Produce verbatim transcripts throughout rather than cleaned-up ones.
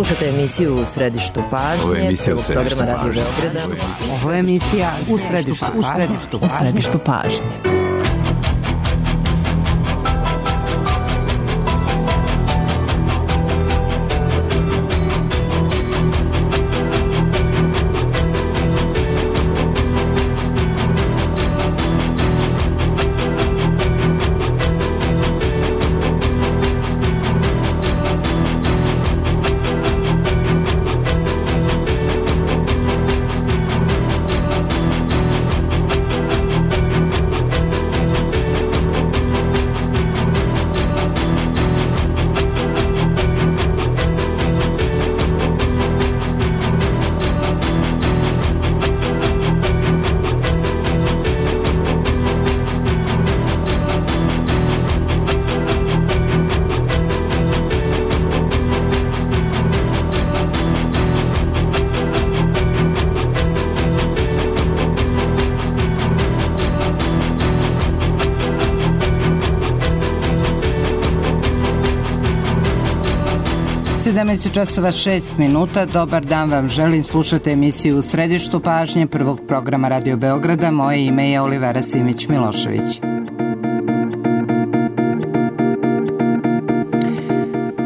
Slušate emisiju U središtu pažnje. Ovo je emisija U središtu programa Radio pažnje. Beograda. Ovo je emisija U središtu, u središtu, u središtu pažnje. sedamnaest časova šest minuta. Dobar dan vam želim. Slušate emisiju U središtu pažnje prvog programa Radio Beograda. Moje ime je Olivera Simić-Milošević.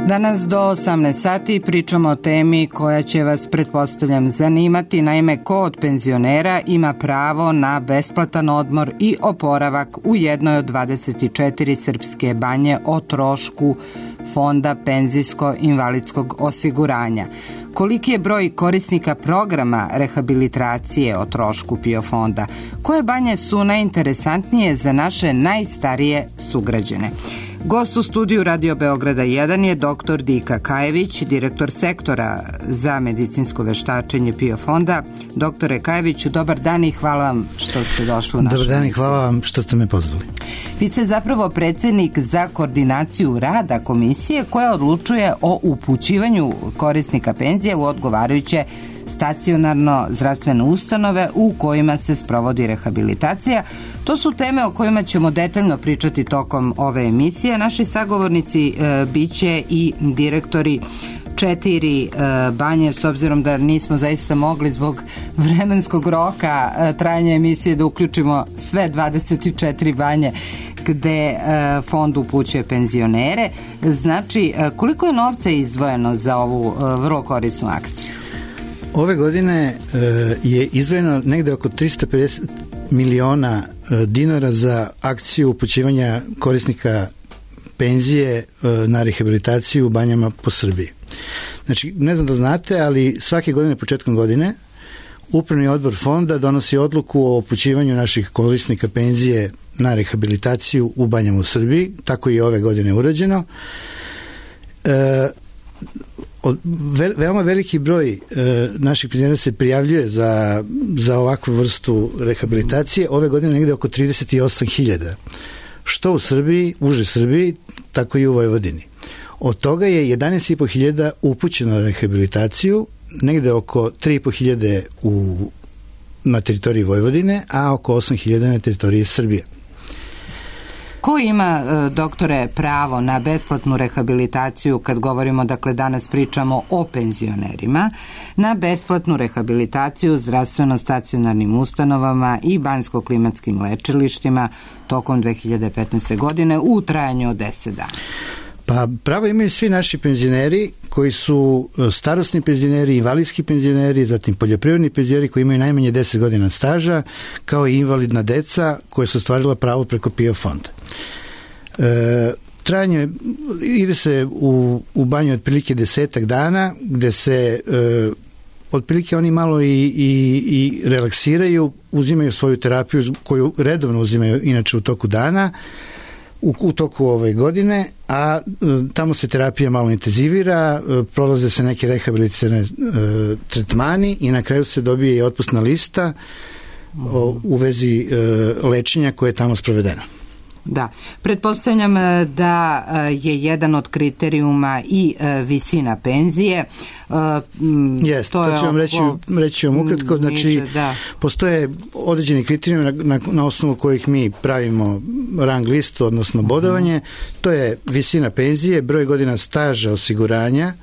Danas do osamnaest sati pričamo o temi koja će vas, pretpostavljam, zanimati. Naime, ko od penzionera ima pravo na besplatan odmor i oporavak u jednoj od dvadeset četiri srpske banje o trošku Fonda penzijsko-invalidskog osiguranja. Koliki je broj korisnika programa rehabilitacije o trošku PIO fonda? Koje banje su najinteresantnije za naše najstarije sugrađane? Gost u studiju Radio Beograda jedan je doktor Dika Kajević, direktor sektora za medicinsko veštačenje PIO fonda. Doktore Kajeviću, dobar dan i hvala vam što ste došli u našu Dobar dan i emisiju. hvala vam što ste me pozvali. Vi ste zapravo predsjednik za koordinaciju rada komisije koja odlučuje o upućivanju korisnika penzije u odgovarajuće stacionarno zdravstvene ustanove u kojima se sprovodi rehabilitacija. To su teme o kojima ćemo detaljno pričati tokom ove emisije. Naši sagovornici e, bit će i direktori četiri e, banje, s obzirom da nismo zaista mogli zbog vremenskog roka e, trajanja emisije da uključimo sve dvadeset četiri banje gde e, fond upućuje penzionere. Znači, e, koliko je novca izdvojeno za ovu e, vrlo korisnu akciju? Ove godine e, je izdvojeno negde oko tristo pedeset miliona e, dinara za akciju upućivanja korisnika penzije e, na rehabilitaciju u banjama po Srbiji. Znači, ne znam da znate, ali svake godine, početkom godine, Upravni odbor fonda donosi odluku o upućivanju naših korisnika penzije na rehabilitaciju u banjama u Srbiji. Tako je i ove godine urađeno. E, Od, ve, veoma veliki broj e, naših penzionera se prijavljuje za, za ovakvu vrstu rehabilitacije. Ove godine negde oko trideset osam hiljada. Što u Srbiji, uže Srbiji, tako i u Vojvodini. Od toga je jedanaest i po hiljada upućeno na rehabilitaciju, negde oko tri i po hiljade u, na teritoriji Vojvodine, a oko osam hiljada na teritoriji Srbije. Ko ima, doktore, pravo na besplatnu rehabilitaciju, kad govorimo, dakle danas pričamo o penzionerima, na besplatnu rehabilitaciju zdravstveno-stacionarnim ustanovama i banjsko-klimatskim lečilištima tokom dve hiljade petnaeste. godine u trajanju od deset dana? Pa pravo imaju svi naši penzioneri koji su starosni penzioneri, invalidski penzioneri, zatim poljoprivredni penzioneri koji imaju najmanje deset godina staža, kao i invalidna deca koje su ostvarila pravo preko PIO fonda. E, trajanje ide se u, u banju otprilike desetak dana, gde se e, otprilike oni malo i, i, i relaksiraju, uzimaju svoju terapiju koju redovno uzimaju inače u toku dana, u, u toku ove godine, a e, tamo se terapija malo intenzivira, e, prolaze se neke rehabilitacione e, tretmani i na kraju se dobije i otpusna lista o, u vezi e, lečenja koje je tamo sprovedeno. Da, pretpostavljam da je jedan od kriterijuma i visina penzije. Jeste, to, to ću vam reći, reći vam ukratko. Znači, da. Postoje određeni kriterijumi na, na, na osnovu kojih mi pravimo rang listu, odnosno bodovanje. To je visina penzije, broj godina staža osiguranja,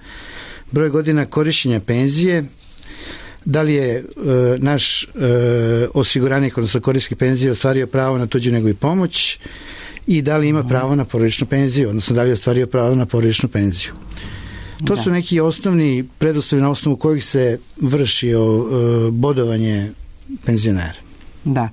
broj godina korišćenja penzije, da li je e, naš e, osiguranik, odnosno korisnik penzije ostvario pravo na tuđu nego i pomoć i da li ima pravo na porodičnu penziju, odnosno da li je ostvario pravo na porodičnu penziju. To da. su neki osnovni preduslovi na osnovu kojih se vrši o, e, bodovanje penzionera. Da.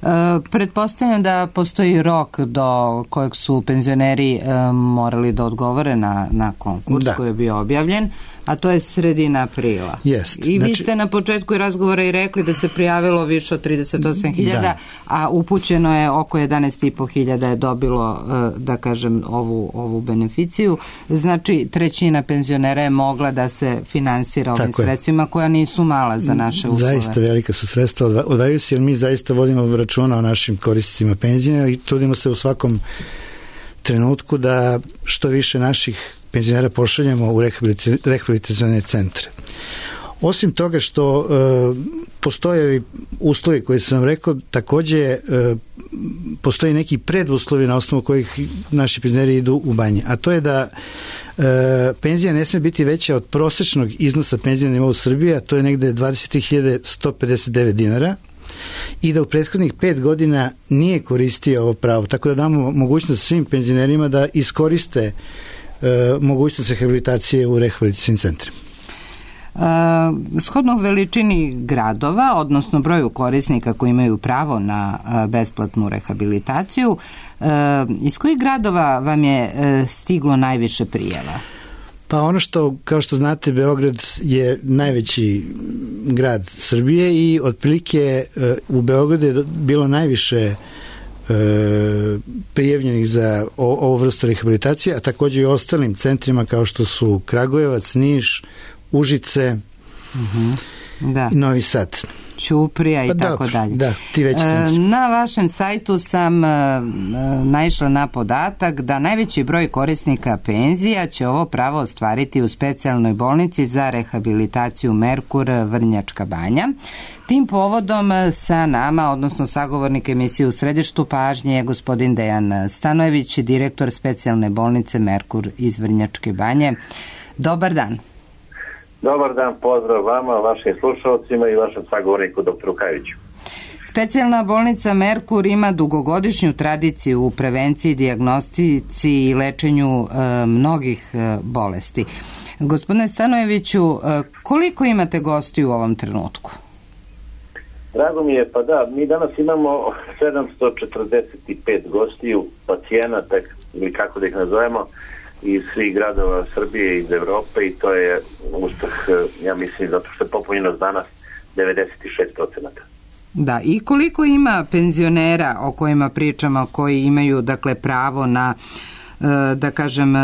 E, pretpostavljam da postoji rok do kojeg su penzioneri e, morali da odgovore na, na konkurs da. koji je bio objavljen, a to je sredina aprila. Jest. I znači, vi ste na početku razgovora i rekli da se prijavilo više od trideset osam hiljada, da. a upućeno je oko jedanaest i po hiljada je dobilo, da kažem, ovu, ovu beneficiju. Znači, trećina penzionera je mogla da se finansira ovim Tako sredstvima, je. koja nisu mala za naše uslove. Zaista velika su sredstva, odvajaju se, jer mi zaista vodimo računa o našim korisnicima penzije i trudimo se u svakom trenutku da što više naših penzionera pošaljemo u rehabilitacione centre. Osim toga što e, postoje uslovi koji sam vam rekao, takođe e, postoji neki preduslovi na osnovu kojih naši penzioneri idu u banje, a to je da e, penzija ne sme biti veća od prosečnog iznosa penzije na nivou Srbije, a to je negde dvadeset tri hiljade sto pedeset devet dinara, i da u prethodnih pet godina nije koristio ovo pravo. Tako da damo mogućnost svim penzionerima da iskoriste e, mogućnost rehabilitacije u rehabilitacijskim centrima. E, shodno veličini gradova, odnosno broju korisnika koji imaju pravo na e, besplatnu rehabilitaciju, e, iz kojih gradova vam je e, stiglo najviše prijava? Pa ono što, kao što znate, Beograd je najveći grad Srbije i otprilike u Beogradu je bilo najviše e, prijavljenih za o, ovu vrstu rehabilitacije, a takođe i ostalim centrima kao što su Kragujevac, Niš, Užice, uh-huh. da. i Novi Sad. Ćuprija i pa tako dobro, dalje. Da, ti veći centri. Na vašem sajtu sam e, naišla na podatak da najveći broj korisnika penzija će ovo pravo ostvariti u specijalnoj bolnici za rehabilitaciju Merkur Vrnjačka Banja. Tim povodom sa nama, odnosno sagovornik emisije U središtu pažnje je gospodin Dejan Stanojević, direktor specijalne bolnice Merkur iz Vrnjačke Banje. Dobar dan. Dobar dan, pozdrav vama, vašim slušalcima i vašem sagovorniku doktoru Kajeviću. Specijalna bolnica Merkur ima dugogodišnju tradiciju u prevenciji, dijagnostici i lečenju e, mnogih e, bolesti. Gospodine Stanojeviću, e, koliko imate gostiju u ovom trenutku? Drago mi je, pa da, mi danas imamo sedamsto četrdeset pet gostiju, pacijenata, ili kako da ih nazovemo, iz svih gradova Srbije i iz Evrope, i to je uspeh, ja mislim, zato što je popunjenost danas devedeset šest procenata. Da, i koliko ima penzionera o kojima pričamo, koji imaju, dakle, pravo na, da kažem,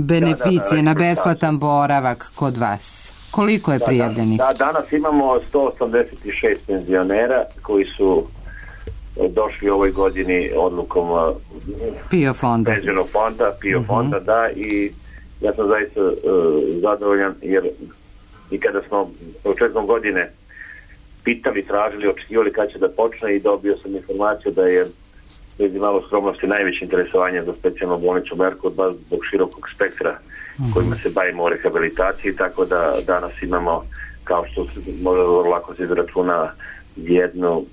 beneficije, da, da, da, na besplatan boravak kod vas? Koliko je da, prijavljenih? Da, da, danas imamo sto osamdeset šest penzionera koji su došli u ovoj godini odlukom PIO fonda. Penzionog fonda, PIO uh-huh. fonda, da, i ja sam zaista uh, zadovoljan, jer i kada smo početkom godine pitali, tražili, očekivali kad će da počne, i dobio sam informaciju da je bez malo skromnosti najveće interesovanje za specijalnu bolnicu Merkur, baš zbog širokog spektra uh-huh. kojima se bavimo o rehabilitaciji, tako da danas imamo, kao što se može lako se izračuna, jednu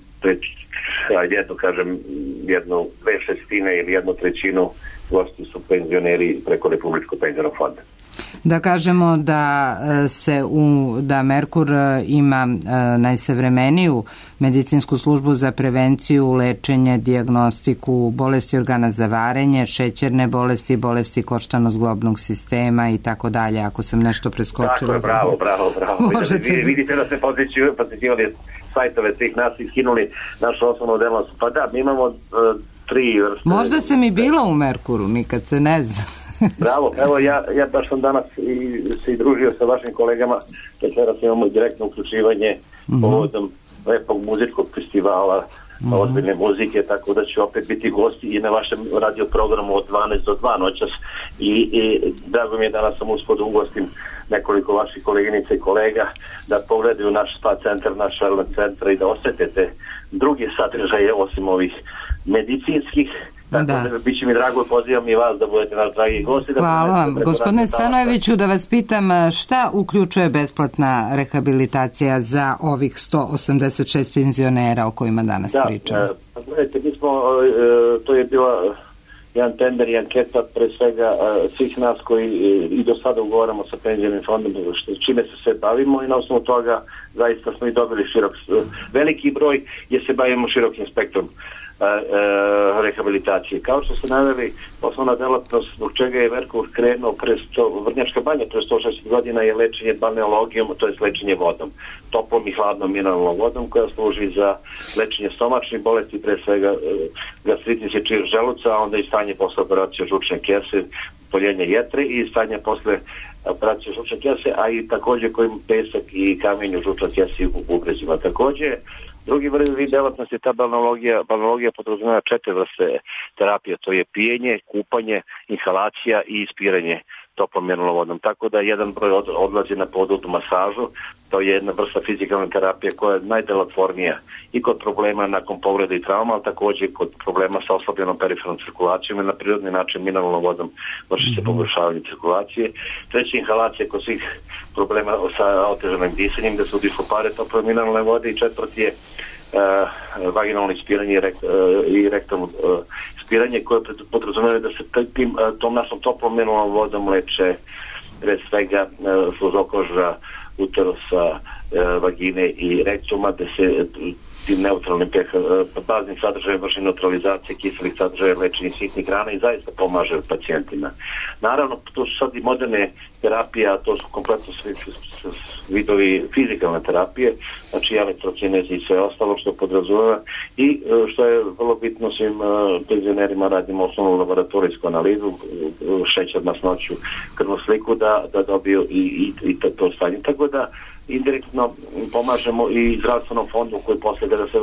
jednu, kažem, jednu dve šestine ili jednu trećinu gosti su penzioneri preko Republičkog penzionog fonda. Da kažemo da se u, da Merkur ima najsavremeniju medicinsku službu za prevenciju, lečenje, dijagnostiku bolesti organa za varenje, šećerne bolesti, bolesti koštano-zglobnog sistema i tako dalje. Ako sam nešto preskočila. Tako je, bravo, bravo, bravo. Možete... Vidite da ste posjećivali sajtove svih nas i skinuli našu osnovnu delo. Pa da, mi imamo uh, tri vrste. Možda sam i bila u Merkuru, nikad se ne zna. Bravo, evo ja, ja baš sam danas i, se i družio sa vašim kolegama, večeras imamo direktno uključivanje mm-hmm. povodom lepog muzičkog festivala, mm-hmm. ozbiljne muzike, tako da će opet biti gosti i na vašem radio programu od dvanaest do dva noćas, i, i drago mi je danas sam uspod ugostim nekoliko vaših koleginica i kolega da pogledaju naš spa centar, naš wellness centar i da osjetite druge sadržaje osim ovih medicinskih Tako da, da biće mi drago, pozivam i vas da budete naš dragi gosti. Hvala da vam. Gospodine Stanojeviću, da vas pitam šta uključuje besplatna rehabilitacija za ovih sto osamdeset šest penzionera o kojima danas da, pričamo? Da, pa gledajte, mi smo, to je bila jedan tender i anketa pre svega svih nas koji i do sada ugovaramo sa penzionim fondom, čime se sve bavimo i na osnovu toga zaista smo i dobili širok, veliki broj jer se bavimo širokim spektrom rehabilitacije. Kao što ste naveli, osnovna delatnost zbog čega je Merkur krenuo pre sto, Vrnjačka banja pre sto šezdeset godina je lečenje balneologijom, to je lečenje vodom, toplom i hladnom mineralnom vodom koja služi za lečenje stomačnih bolesti, pre svega gastritis i čir želuca, a onda i stanje posle operacije žučne kese, poljenje jetre i stanje posle operacije žučne kese, a i takođe kojim pesak i kamenju žučne kese u bubrezima. Takođe, drugi vid delatnosti je ta balneologija. Balneologija podrazumeva četiri vrste terapije, to je pijenje, kupanje, inhalacija i ispiranje toplom mineralnom vodom. Tako da jedan broj od, odlazi na podudnu masažu, to je jedna vrsta fizikalne terapije koja je najdelotvornija i kod problema nakon povrede i trauma, ali takođe kod problema sa oslabljenom perifernom cirkulacijom i na prirodni način mineralnom vodom vrši se poboljšavanje cirkulacije. Treća inhalacija kod svih problema sa otežanim disanjem, da se udišu pare tople mineralne vode i četvrti je uh, vaginalno ispiranje i, rekt, uh, i rektalno uh, ispiranje koje podrazumeva da se tim, uh, tom našom toplom mineralnom vodom leče pre svega uh, sluzokoža, uterusa, uh, vagine i rektuma, da se tim neutralnim pH, baznim sadržajem vrši neutralizacije kiselih sadržaja, lečenje sitnih hrana i zaista pomaže pacijentima. Naravno, to su sad i moderne terapije, a to su kompletno svi vidovi fizikalne terapije, znači elektrokinezi i sve ostalo što podrazumeva i što je vrlo bitno svim penzionerima, radimo osnovnu laboratorijsku analizu, šećer, masnoću, krvnu sliku da, da dobiju i, i, i to stanje. Tako da indirektno pomažemo i zdravstvenom fondu koji posle kada se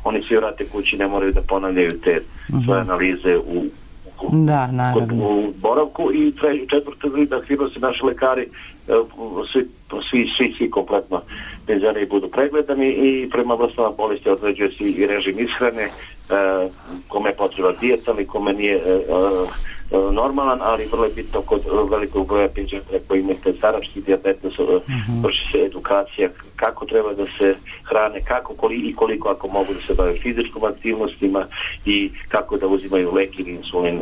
oni svi vrate kući ne moraju da ponavljaju te uh-huh. svoje analize u, u, da, naravno. u boravku i četvrto da hibro se naši lekari svi, svi, svi, svi kompletno penzioneri budu pregledani i prema vrstama bolesti određuje se i režim ishrane, kome je potreba dijeta ali kome nije normalan, ali vrlo je bitno kod velikog broja penzionera koji imaju starački dijabetes, uh-huh. vrši se edukacija kako treba da se hrane, kako koli, i koliko ako mogu da se bave fizičkom aktivnostima i kako da uzimaju lek ili insulin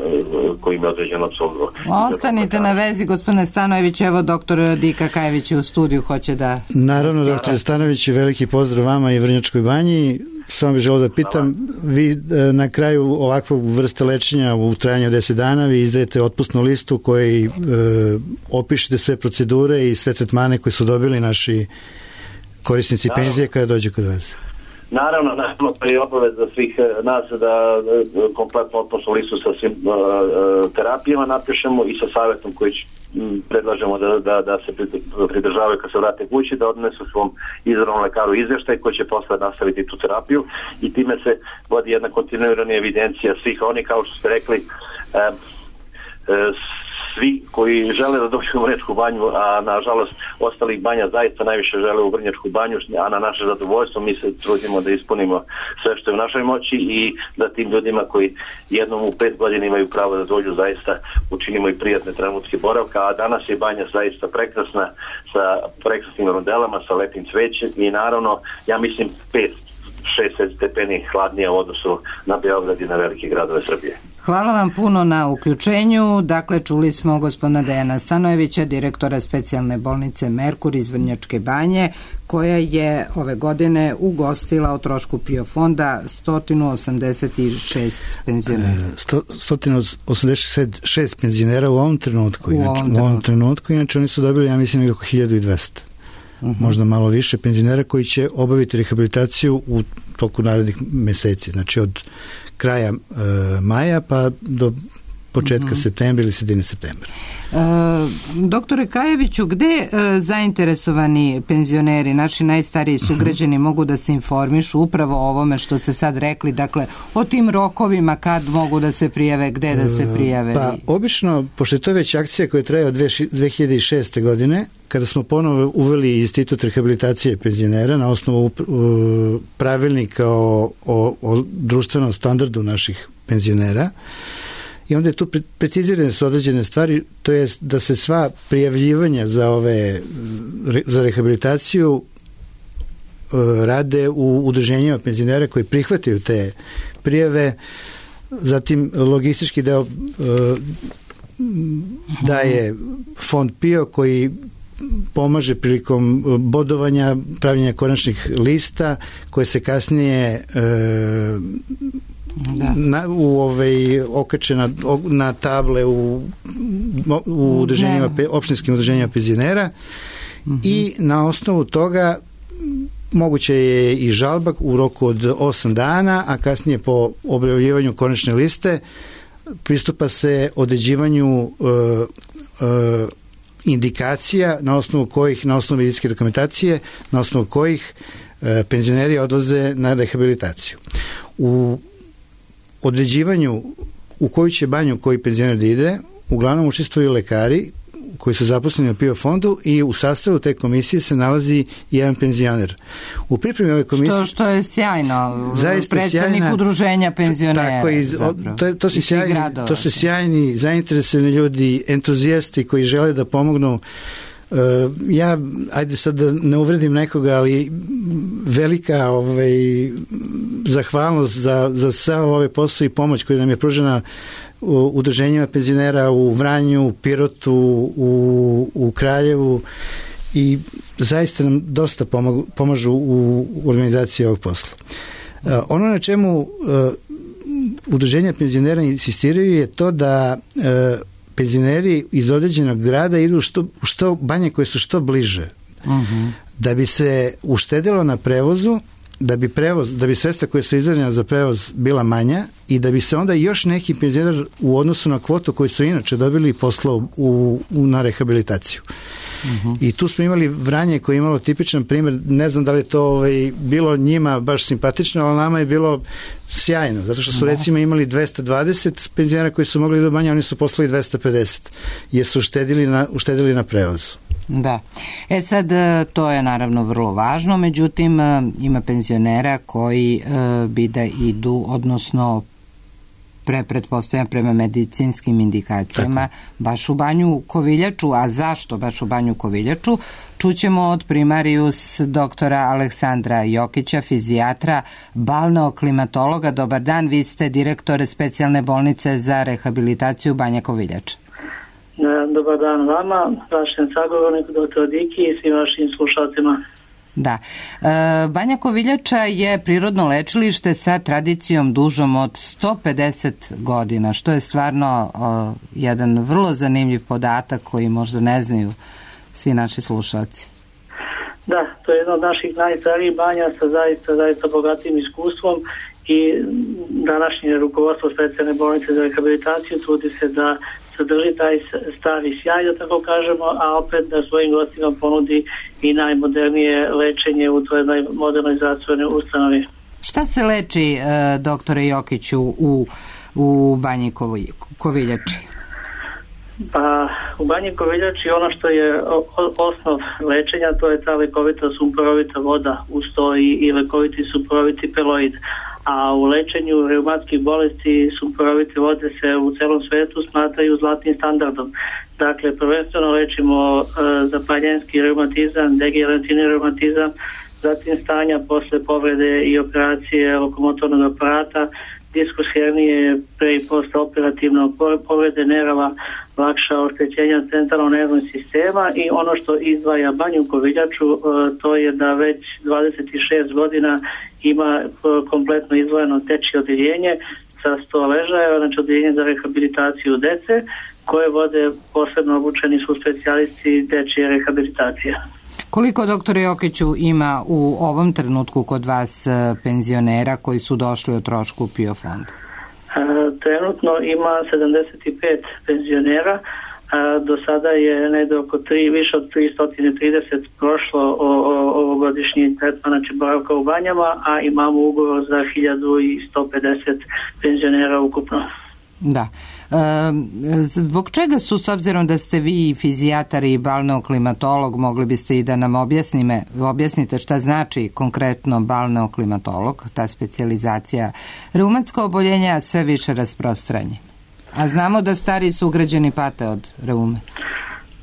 koji im je određeno apsolutno. Ostanite na vezi, gospodine Stanojević, evo doktor Dika Kajević je u studiju, hoće da... Naravno, doktor Stanojević, veliki pozdrav vama i Vrnjačkoj banji. Samo bih želeo da pitam, vi na kraju ovakvog vrste lečenja u trajanju deset dana vi izdajete otpusnu listu koji e, opišete sve procedure i sve tretmane koje su dobili naši korisnici naravno. Penzije kada dođu kod vas. Naravno, naravno, to je obaveza svih nas da, da kompletno otpusnu listu sa svim uh, terapijama napišemo i sa savjetom koji će predlažemo da, da, da se pridržavaju kad se vrate kući, da odnesu svom izravnom lekaru izvještaj koji će posle nastaviti tu terapiju i time se vodi jedna kontinuirana evidencija svih oni, kao što ste rekli, e, e, svi koji žele da dođu u Vrnjačku banju, a nažalost ostalih banja zaista najviše žele u Vrnjačku banju, a na naše zadovoljstvo mi se trudimo da ispunimo sve što je u našoj moći i da tim ljudima koji jednom u pet godina imaju pravo da dođu zaista učinimo i prijatne trenutke boravka, a danas je banja zaista prekrasna sa prekrasnim rodelama, sa lepim cvećem i naravno, ja mislim pet šest stepeni hladnije u odnosu na Beograd i na velike gradove Srbije. Hvala vam puno na uključenju. Dakle, čuli smo gospodina Dejana Stanojevića, direktora specijalne bolnice Merkur iz Vrnjačke banje, koja je ove godine ugostila o trošku PIO fonda sto osamdeset šest penzionera. sto osamdeset šest penzionera u ovom trenutku. U inače, ovom u trenutku. ovom trenutku. Inače, oni su dobili, ja mislim, oko hiljadu dvesta. Uh-huh. Možda malo više penzionera koji će obaviti rehabilitaciju u toku narednih meseci, znači od kraja e, maja pa do početka uh-huh. septembra ili sredine septembra. E, doktore Kajeviću, gde e, zainteresovani penzioneri, naši najstariji sugrađani, uh-huh. mogu da se informišu upravo o ovome što ste sad rekli, dakle, o tim rokovima kad mogu da se prijave, gde da se prijave? Pa, obično, pošto je to već akcija koja traje od dve hiljade šeste. godine, kada smo ponovo uveli institut rehabilitacije penzionera na osnovu uh, pravilnika o, o, o društvenom standardu naših penzionera i onda je tu precizirane su određene stvari, to je da se sva prijavljivanja za ove za rehabilitaciju rade u udruženjima penzionera koji prihvataju te prijave, zatim logistički deo daje fond PIO koji pomaže prilikom bodovanja, pravljenja konačnih lista koje se kasnije e, da. Na, u ovaj, okače na, na table u, u udruženjima, opštinskim udruženjima penzionera mm-hmm. i na osnovu toga moguće je i žalba u roku od osam dana, a kasnije po objavljivanju konačne liste pristupa se određivanju uh, uh, indikacija na osnovu kojih, na osnovu medicinske dokumentacije, na osnovu kojih uh, penzioneri odlaze na rehabilitaciju. U određivanju u koju će banju koji penzioner da ide, uglavnom učestvuju lekari koji su zaposleni u PIO fondu i u sastavu te komisije se nalazi jedan penzioner. U pripremi ove komisije... Što, što je sjajno. Predstavnik udruženja penzionera. Tako, iz, o, to, to, su sjajni, to su sjajni, zainteresovani ljudi, entuzijasti koji žele da pomognu. Uh, ja, ajde sad da ne uvredim nekoga, ali velika ovaj, zahvalnost za, za sav ove posao i pomoć koju nam je pružena u udruženjima penzionera u Vranju, u Pirotu, u, u Kraljevu i zaista nam dosta pomažu, pomažu u organizaciji ovog posla. Uh, ono na čemu uh, udruženja penzionera insistiraju je to da uh, penzioneri iz određenog grada idu u što, što banje koje su što bliže. Uh-huh. Da bi se uštedilo na prevozu, da bi prevoz, da bi sredstva koje su izdvojena za prevoz bila manja i da bi se onda još neki penzioner u odnosu na kvotu koju su inače dobili poslao u, u, na rehabilitaciju. Uh-huh. I tu smo imali Vranje koje je imalo tipičan primjer, ne znam da li to ovaj, bilo njima baš simpatično, ali nama je bilo sjajno, zato što su recimo imali dvesta dvadeset penzionera koji su mogli do banja, oni su poslali dvesta pedeset, jer su uštedili na, uštedili na prevozu. Da. E sad, to je naravno vrlo važno, međutim ima penzionera koji e, bi da idu, odnosno pre pretpostavljam prema medicinskim indikacijama, tako, baš u banju Koviljaču. A zašto baš u banju Koviljaču? Čućemo od primarius doktora Aleksandra Jokića, fizijatra, balneoklimatologa. Dobar dan, vi ste direktor specijalne bolnice za rehabilitaciju Banja Koviljača. Dobar dan vama, vašem sagovorniku, doktor Diki i svim vašim slušalcima. Da. E, Banja Koviljača je prirodno lečilište sa tradicijom dužom od sto pedeset godina, što je stvarno o, jedan vrlo zanimljiv podatak koji možda ne znaju svi naši slušalci. Da, to je jedna od naših najstarijih banja sa zaista, zaista bogatim iskustvom i današnje rukovodstvo specijalne bolnice za rehabilitaciju trudi se da sadrži taj stari sjaj, da tako kažemo, a opet da svojim gostima ponudi i najmodernije lečenje u toj modernoj zdravstvenoj ustanovi. Šta se leči, e, doktore Jokiću, u, u Banji Koviljači? Pa, u Banji Koviljači ono što je osnov lečenja, to je ta lekovita sumporovita voda, uz to i, i lekoviti sumporoviti peloid. A u lečenju reumatskih bolesti sumporovite vode se u celom svetu smatraju zlatnim standardom. Dakle, prvenstveno lečimo e, zapaljenski reumatizam, degenerativni reumatizam, zatim stanja posle povrede i operacije lokomotornog aparata, diskus hernije, pre i posle operativno povrede nerava, lakša oštećenja centralnog nervnog sistema i ono što izdvaja Banju Koviljaču, e, to je da već dvadeset šest godina ima kompletno izdvojeno dečje odjeljenje sa sto ležaja, znači odjeljenje za rehabilitaciju dece, koje vode posebno obučeni su specijalisti dečje rehabilitacije. Koliko, doktore Jokiću, ima u ovom trenutku kod vas penzionera koji su došli o trošku PIO fonda? E, trenutno ima sedamdeset pet penzionera. Do sada je negde oko tri, više od tristo trideset prošlo o, o, ovogodišnji tretman, znači boravka u banjama, a imamo ugovor za hiljadu sto pedeset penzionera ukupno. Da. E, zbog čega su, s obzirom da ste vi fizijatar i balneoklimatolog, mogli biste i da nam objasnime, objasnite šta znači konkretno balneoklimatolog, ta specijalizacija, reumatska oboljenja sve više rasprostranje? A znamo da stari sugrađani pate od reume.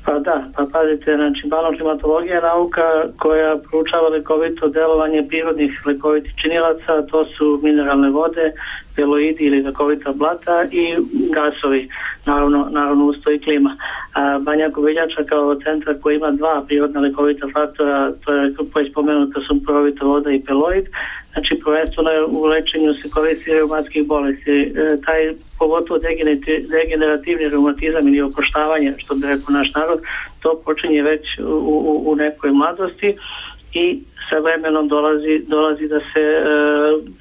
Pa da, pa pazite, znači balneoklimatologija je nauka koja proučava lekovito delovanje prirodnih lekovitih činilaca, to su mineralne vode, peloidi ili lekovita blata i gasovi, naravno, naravno usto i klima. A Banja Koviljača kao centar koji ima dva prirodna lekovita faktora, to je koji je spomenuta sumporovita voda i peloid, znači prvenstveno u lečenju se koristi reumatskih bolesti. E, taj pogotovo degenerativni reumatizam ili okoštavanje, što bi rekao naš narod, to počinje već u, u, u nekoj mladosti i sa vremenom dolazi, dolazi da se e,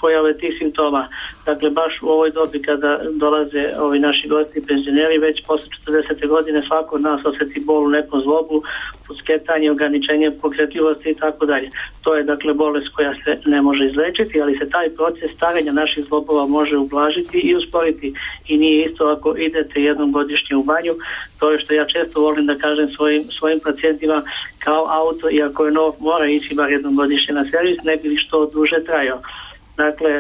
pojave tih simptoma. Dakle, baš u ovoj dobi kada dolaze ovi naši gosti penzioneri, već posle četrdesete godine svako od nas osjeti bol u nekom zlobu, pusketanje, ograničenje pokretljivosti i tako dalje. To je dakle bolest koja se ne može izlečiti, ali se taj proces starenja naših zlobova može ublažiti i usporiti. I nije isto ako idete jednom godišnje u banju, to je što ja često volim da kažem svojim, svojim pacijentima, kao auto, iako je nov, mora ići bar jednom godišnje na servis, ne bi li što duže trajao. Dakle,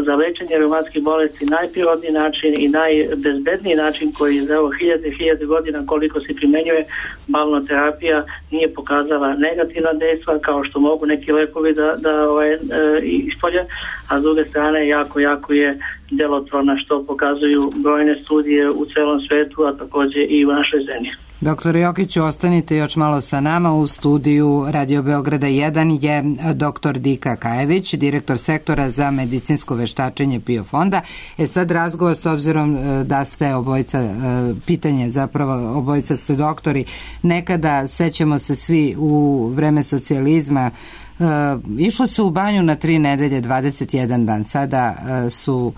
za lečenje reumatskih bolesti najprirodniji način i najbezbedniji način koji za evo hiljade hiljade godina koliko se primenjuje balneoterapija nije pokazala negativna dejstva kao što mogu neki lekovi da, da ovaj, e, ispolje, a s druge strane jako, jako je djelotvorna što pokazuju brojne studije u celom svetu, a također i u našoj zemlji. Doktor Jokiću, ostanite još malo sa nama. U studiju Radio Beograda jedan je doktor Dika Kajević, direktor sektora za medicinsko veštačenje PIO fonda. E sad razgovor, s obzirom da ste obojica, pitanje zapravo, obojica ste doktori, nekada, sećamo se svi u vreme socijalizma, išlo se u banju na tri nedelje, dvadeset jedan dan. Sada su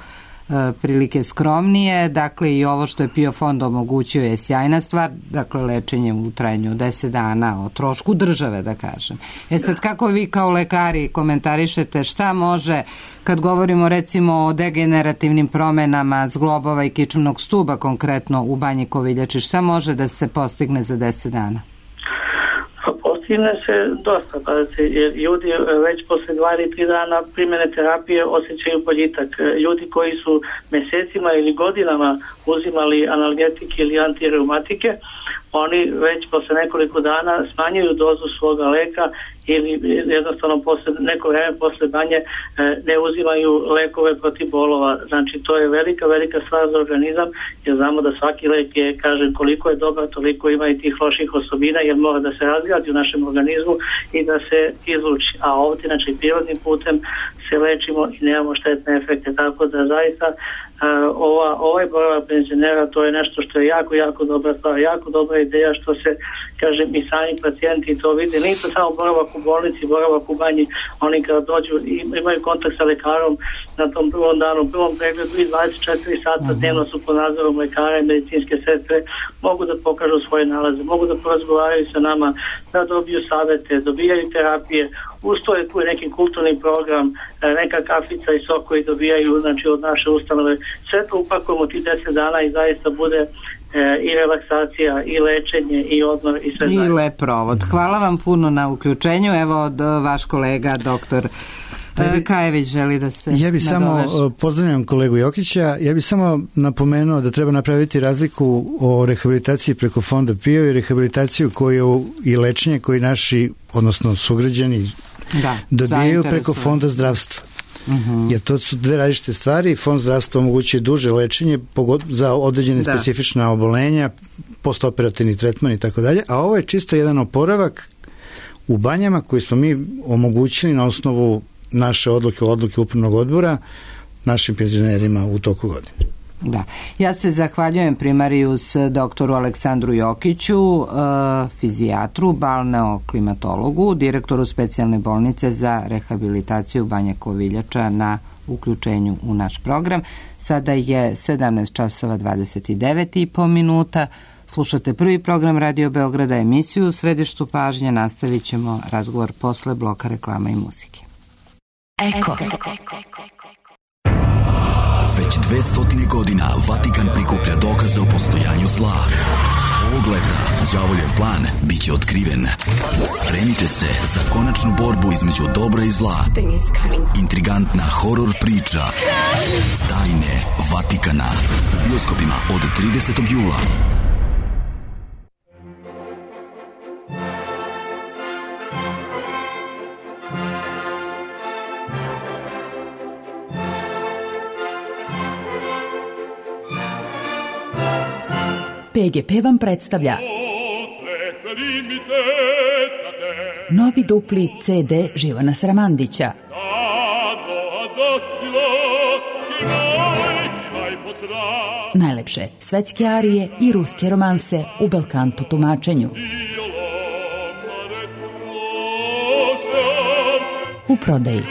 prilike skromnije, dakle i ovo što je PIO fond omogućio je sjajna stvar, dakle lečenje u trajanju deset dana o trošku države, da kažem. E sad, kako vi kao lekari komentarišete šta može, kad govorimo recimo o degenerativnim promenama zglobova i kičmenog stuba konkretno u Banji Koviljači, šta može da se postigne za deset dana? Postigne se dosta, pa, jer ljudi već posle dva ili tri dana primjene terapije osjećaju boljitak. Ljudi koji su mesecima ili godinama uzimali analgetike ili antireumatike, oni već posle nekoliko dana smanjuju dozu svoga leka ili jednostavno posle neko vreme posle banje ne uzimaju lekove protiv bolova. Znači to je velika, velika stvar za organizam, jer znamo da svaki lek je, kažem, koliko je dobar, toliko ima i tih loših osobina, jer mora da se razgradi u našem organizmu i da se izluči. A ovdje, znači, prirodnim putem se lečimo i nemamo štetne efekte, tako da zaista Uh, ova, ovaj boravak penzionera, to je nešto što je jako, jako dobra stvar, jako dobra ideja što se, kažem, i sami pacijenti to vide. Nije to samo boravak u bolnici, boravak u banji, oni kada dođu i imaju kontakt sa lekarom na tom prvom danu, prvom pregledu i dvadeset četiri sata dnevno su pod nadzorom lekara i medicinske sestre, mogu da pokažu svoje nalaze, mogu da porazgovaraju sa nama, da dobiju savete, dobijaju terapije, usto je tu neki kulturni program, neka kafica i sok koji dobijaju, znači, od naše ustanove. Sve to upakujemo ti deset dana i zaista bude e, i relaksacija, i lečenje, i odmor, i sve I zajedno. lep provod. Hvala vam puno na uključenju. Evo, od vaš kolega, doktor Kajević, želi da se Ja bih samo, pozdravljam kolegu Jokića, ja bih samo napomenuo da treba napraviti razliku o rehabilitaciji preko fonda PIO i rehabilitaciju koju i lečenje koji naši, odnosno sugrađani, da, dobijaju preko fonda zdravstva. Uh-huh. Jer to su dve različite stvari. Fond zdravstva omogućuje duže lečenje za određene da. specifična obolenja, postoperativni tretman i tako dalje, a ovo je čisto jedan oporavak u banjama koji smo mi omogućili na osnovu naše odluke, odluke upravnog odbora našim penzionerima u toku godine. Da. Ja se zahvaljujem primarijus doktoru Aleksandru Jokiću, fizijatru, balneoklimatologu, direktoru specijalne bolnice za rehabilitaciju Banja Koviljača na uključenju u naš program. Sada je sedamnaest časova dvadeset devet i po minuta. Slušate prvi program Radio Beograda, emisiju U središtu pažnje. Nastavit ćemo razgovor posle bloka reklama i muzike. Eko. Već dve stotine godina Vatikan prikuplja dokaze o postojanju zla. Ovog leta đavoljev plan biće otkriven. Spremite se za konačnu borbu između dobra i zla. Intrigantna horor priča Tajne Vatikana u bioskopima od tridesetog jula. P G P vam predstavlja novi dupli C D Živana Sramandića. Najlepše svetske arije i ruske romanse u belkanto tumačenju. U prodaji.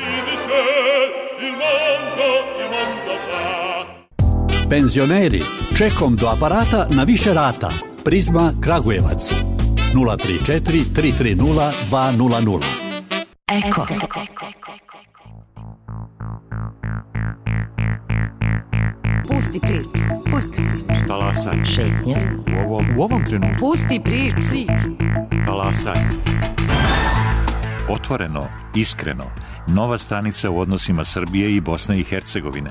Penzioneri, čekom do aparata na više rata. Prizma Kragujevac. nula tri četiri tri tri nula dva nula nula. Eko. Pusti priču, pusti priču. Talasanje. Šetnja. U ovom, u ovom trenutku. Pusti priču. Talasanje. Otvoreno, iskreno. Nova stanica u odnosima Srbije i Bosne i Hercegovine.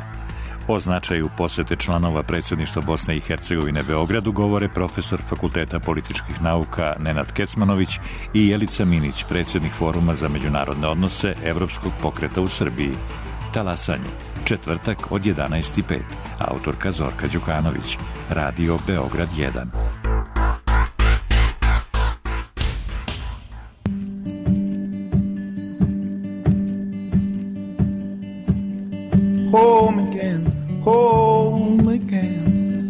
O značaju posete članova predsjedništva Bosne i Hercegovine Beogradu govore profesor Fakulteta političkih nauka Nenad Kecmanović i Jelica Minić, predsjednik Foruma za međunarodne odnose Evropskog pokreta u Srbiji. Talasanje, četvrtak od jedanaest i pet. Autorka Zorka Đukanović. Radio Beograd jedan. Home again, home again.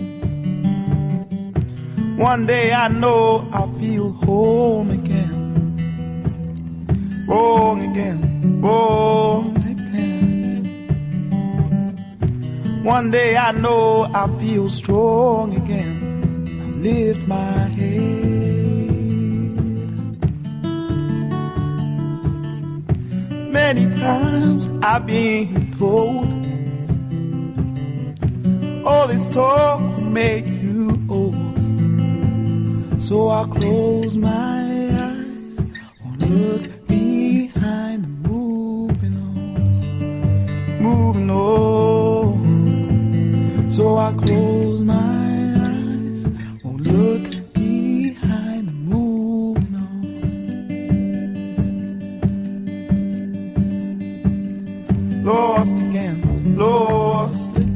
One day I know I'll feel home again. Wrong again, wrong again. One day I know I'll feel strong again. I'll lift my head. Many times I've been told all this talk will make you old. So I'll close my eyes, won't look behind, moving on, moving on. So I'll close my eyes, won't look behind, moving on. Lost again, lost again.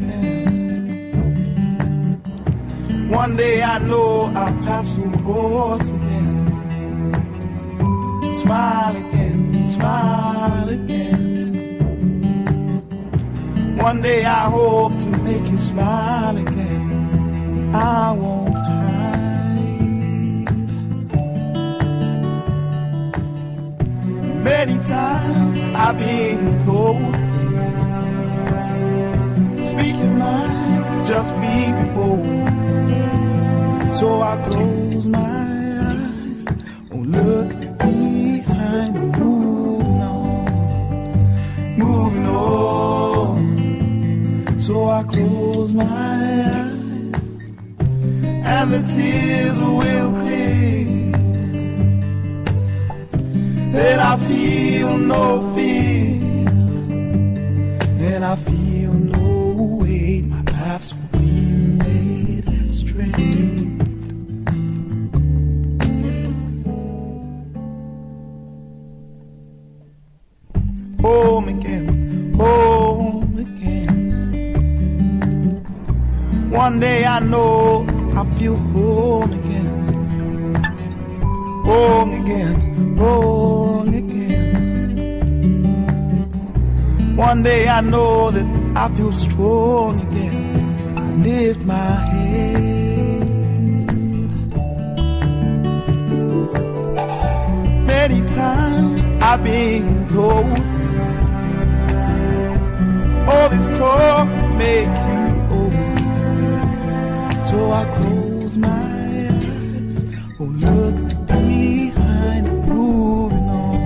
One day I know I'll pass across again. Smile again, smile again. One day I hope to make you smile again. I won't hide. Many times I've been told, speak your mind, just be bold. So I close my eyes, won't look behind, moving on, moving on. So I close my eyes, and the tears will clear. Then I feel no fear, and I feel no weight. My paths will be made straight. Home again, home again. One day I know I feel home again. Home again, home again. One day I know that I feel strong again. I lift my head. Many times I've been told, all this talk make you old. So I close my eyes, won't look behind, moving on,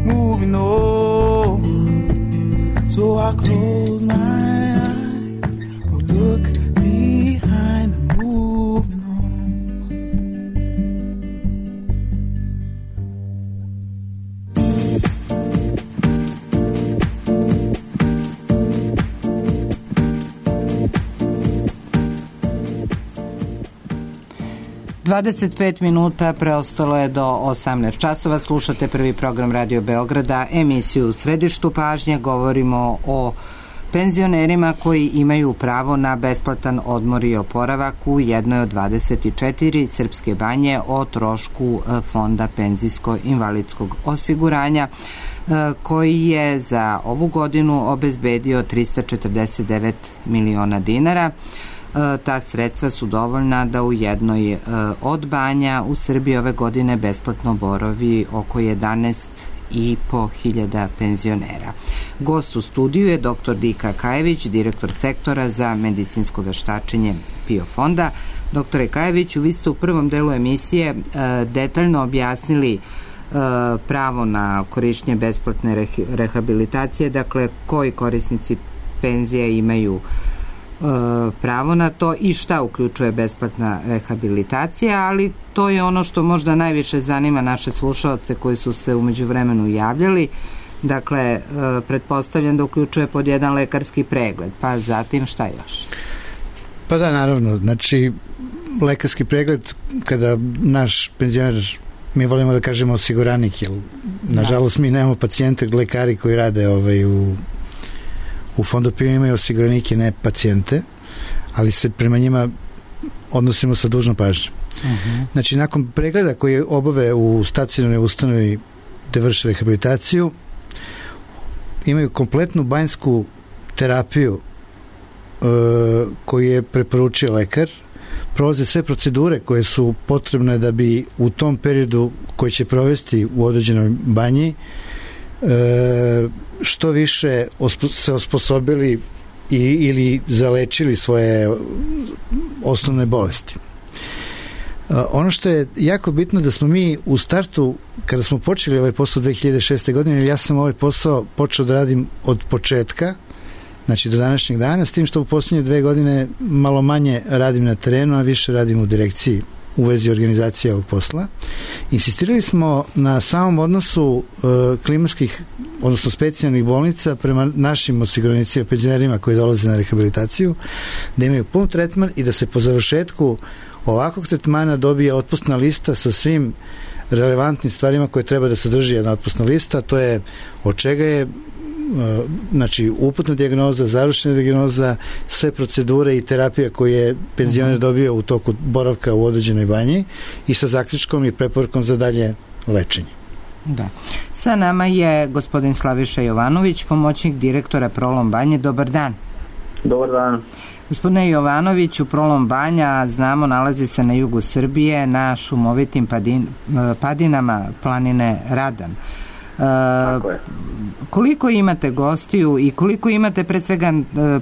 moving on. So I close my eyes, dvadeset pet minuta preostalo je do osamnaest časova. Slušate prvi program Radio Beograda, emisiju U središtu pažnje. Govorimo o penzionerima koji imaju pravo na besplatan odmor i oporavak u jednoj od dvadeset četiri srpske banje o trošku Fonda penzijsko-invalidskog osiguranja, koji je za ovu godinu obezbedio trista četrdeset devet miliona dinara. Ta sredstva su dovoljna da u jednoj od banja u Srbiji ove godine besplatno boravi oko jedanaest i po hiljada penzionera. Gost u studiju je doktor Dika Kajević, direktor sektora za medicinsko veštačenje PIO fonda. Doktore Kajeviću, vi ste u prvom delu emisije detaljno objasnili pravo na korišćenje besplatne rehabilitacije, dakle koji korisnici penzije imaju pravo na to i šta uključuje besplatna rehabilitacija, ali to je ono što možda najviše zanima naše slušaoce koji su se u međuvremenu javljali. Dakle, pretpostavljam da uključuje pod jedan lekarski pregled, pa zatim šta još? Pa da, naravno, znači lekarski pregled kada naš penzioner, mi volimo da kažemo osiguranik, jer nažalost mi nemamo pacijente, lekari koji rade ovaj, u u Fondu PIO imaju osiguranike, ne pacijente, ali se prema njima odnosimo sa dužnom pažnjom. Uh-huh. Znači, nakon pregleda koji obave u stacionarnoj ustanovi gde vrše rehabilitaciju, imaju kompletnu banjsku terapiju e, koju je preporučio lekar, prolaze sve procedure koje su potrebne da bi u tom periodu koji će provesti u određenoj banji e, što više ospo, se osposobili i, ili zalečili svoje osnovne bolesti. Uh, ono što je jako bitno da smo mi u startu, kada smo počeli ovaj posao dve hiljade šeste. godine, ja sam ovaj posao počeo da radim od početka, znači do današnjeg dana, s tim što u posljednje dve godine malo manje radim na terenu, a više radim u direkciji u vezi organizacije ovog posla. Insistirali smo na samom odnosu uh, klimatskih, odnosno specijalnih bolnica prema našim osiguranicima, penzionerima koji dolaze na rehabilitaciju, da imaju pun tretman i da se po završetku ovakvog tretmana dobije otpustna lista sa svim relevantnim stvarima koje treba da sadrži jedna otpustna lista. To je od čega je znači uputna dijagnoza, završena dijagnoza, sve procedure i terapija koje je penzioner dobio u toku boravka u određenoj banji i sa zaključkom i preporukom za dalje lečenje. Da. Sa nama je gospodin Slaviša Jovanović, pomoćnik direktora Prolom banje. Dobar dan. Dobar dan. Gospodine Jovanoviću, Prolom banja, znamo, nalazi se na jugu Srbije, na šumovitim padin, padinama planine Radan. Tako je. Koliko imate gostiju i koliko imate pre svega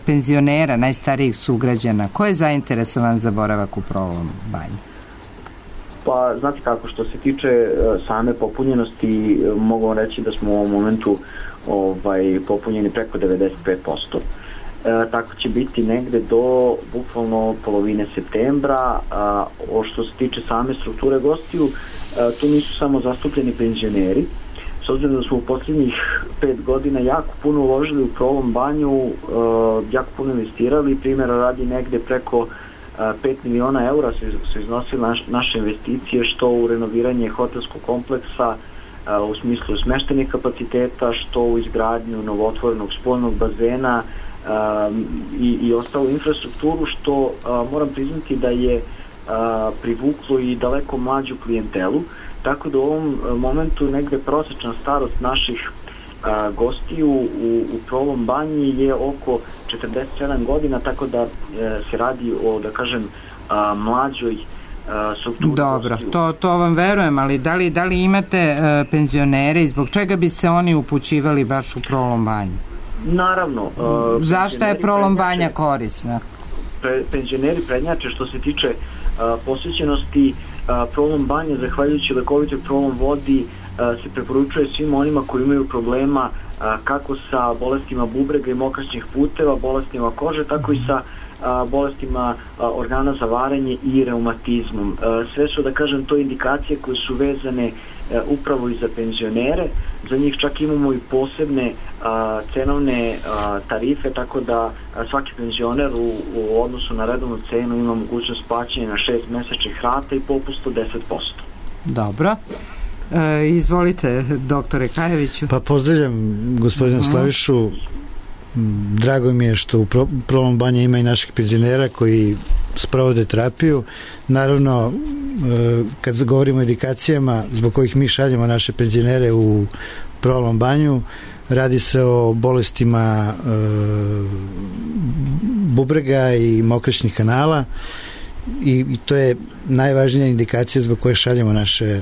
penzionera, najstarijih sugrađana? Ko je zainteresovan za boravak u Prolom banji? Pa, znate kako, što se tiče same popunjenosti, mogu reći da smo u ovom momentu ovaj, popunjeni preko devedeset pet posto. E, tako će biti negde do bukvalno polovine septembra. A, o što se tiče same strukture gostiju, a, tu nisu samo zastupljeni penzioneri. S obzirom da smo u posljednjih pet godina jako puno uložili u Prolom banju, uh, jako puno investirali, primjera radi negde preko uh, pet miliona eura su, su iznosili naš, naše investicije, što u renoviranje hotelskog kompleksa uh, u smislu smeštenih kapaciteta, što u izgradnju novotvorenog spoljnog bazena uh, i, i ostalu infrastrukturu, što uh, moram priznati da je uh, privuklo i daleko mlađu klijentelu. Tako da u ovom momentu negde prosječna starost naših a, gostiju u, u Prolom banji je oko četrdeset sedam godina, tako da e, se radi o, da kažem, a, mlađoj a, strukturi. Dobro, to, to vam verujem, ali da li, da li imate a, penzionere i zbog čega bi se oni upućivali baš u Prolom banju? Naravno. A, Zašto je Prolom banja korisna? Pre, penzioneri prednjače što se tiče a, posvećenosti. Prolom banje, zahvaljujući lekovitoj Prolom vodi, se preporučuje svim onima koji imaju problema kako sa bolestima bubrega i mokraćnih puteva, bolestima kože, tako i sa bolestima organa za varenje i reumatizmom. Sve su, da kažem, to indikacije koje su vezane upravo i za penzionere. Za njih čak imamo i posebne a, cenovne a, tarife, tako da a, svaki penzioner u, u odnosu na redovnu cenu ima mogućnost plaćanja na šest mesečnih rata i popust od deset posto. Dobro. E, izvolite, doktore Kajeviću. Pa pozdravljam gospodina uh-huh. Slavišu. Drago mi je što u Prolom Banje ima i naših penzionera koji sprovode terapiju. Naravno, kad govorimo o edikacijama zbog kojih mi šaljemo naše penzionere u Prolom Banju, radi se o bolestima e, bubrega i mokraćnih kanala i, i to je najvažnija indikacija zbog koje šaljemo naše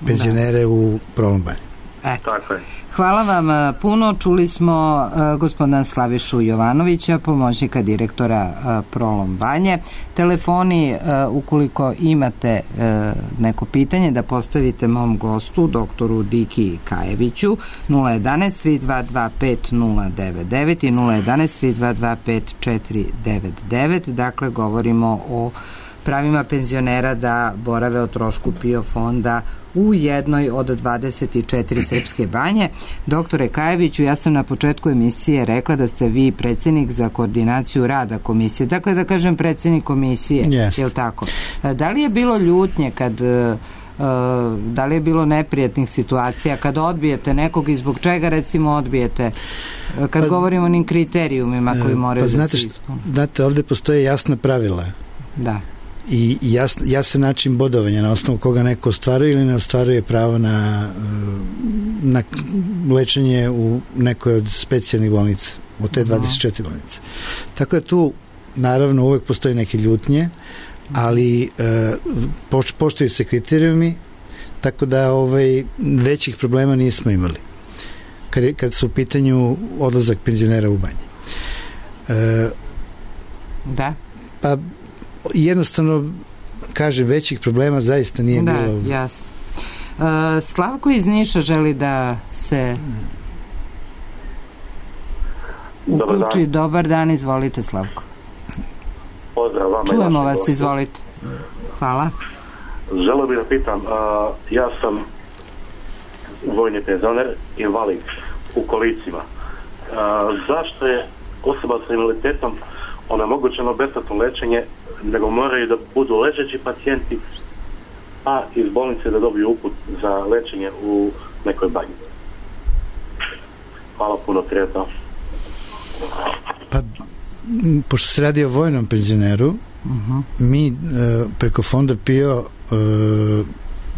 penzionere da. u Prolom Banju. Eto. Tako je. Hvala vam puno. Čuli smo uh, gospodina Slavišu Jovanovića, pomoćnika direktora uh, Prolom Banje. Telefoni, uh, ukoliko imate uh, neko pitanje da postavite mom gostu, doktoru Diki Kajeviću, nula jedanaest tri dva dva pet nula devet devet i nula jedanaest tri dva dva pet četiri devet devet. Dakle, govorimo o pravima penzionera da borave o trošku PIO fonda u jednoj od dvadeset četiri srpske banje. Doktore Kajeviću, ja sam na početku emisije rekla da ste vi predsjednik za koordinaciju rada komisije. Dakle, da kažem predsjednik komisije, yes. je li tako? Da li je bilo ljutnje kad... da li je bilo neprijatnih situacija kad odbijete nekog i zbog čega recimo odbijete kad pa, govorimo o onim kriterijumima koji moraju pa, znate, da se ispune? Znate, ovdje postoje jasna pravila. Da. I jasn, jasan način bodovanja na osnovu koga neko ostvaruje ili ne ostvaruje pravo na, na lečenje u nekoj od specijalnih bolnica, od te dvadeset četiri bolnice. Tako da tu naravno uvek postoji neke ljutnje, ali e, poš, poštuju se kriterijumi, tako da ovaj, većih problema nismo imali kad, je, kad su u pitanju odlazak penzionera u banji. E, da? Pa jednostavno, kažem, većih problema zaista nije da, bilo. Da, jasno. Uh, Slavko iz Niša želi da se uključi. Dobar dan, Dobar dan izvolite Slavko. Pozdrav vama. Čujemo vas, gostu. Izvolite. Hvala. Želeo bih da pitam, uh, ja sam vojni penzioner, invalid u kolicima. Uh, zašto je osoba sa invaliditetom onemogućeno besplatno lečenje, nego moraju da budu ležeći pacijenti, a iz bolnice da dobiju uput za lečenje u nekoj banji? Hvala puno, prijatno. Pa, pošto se radi o vojnom penzioneru, uh-huh. mi uh, preko fonda PIO uh,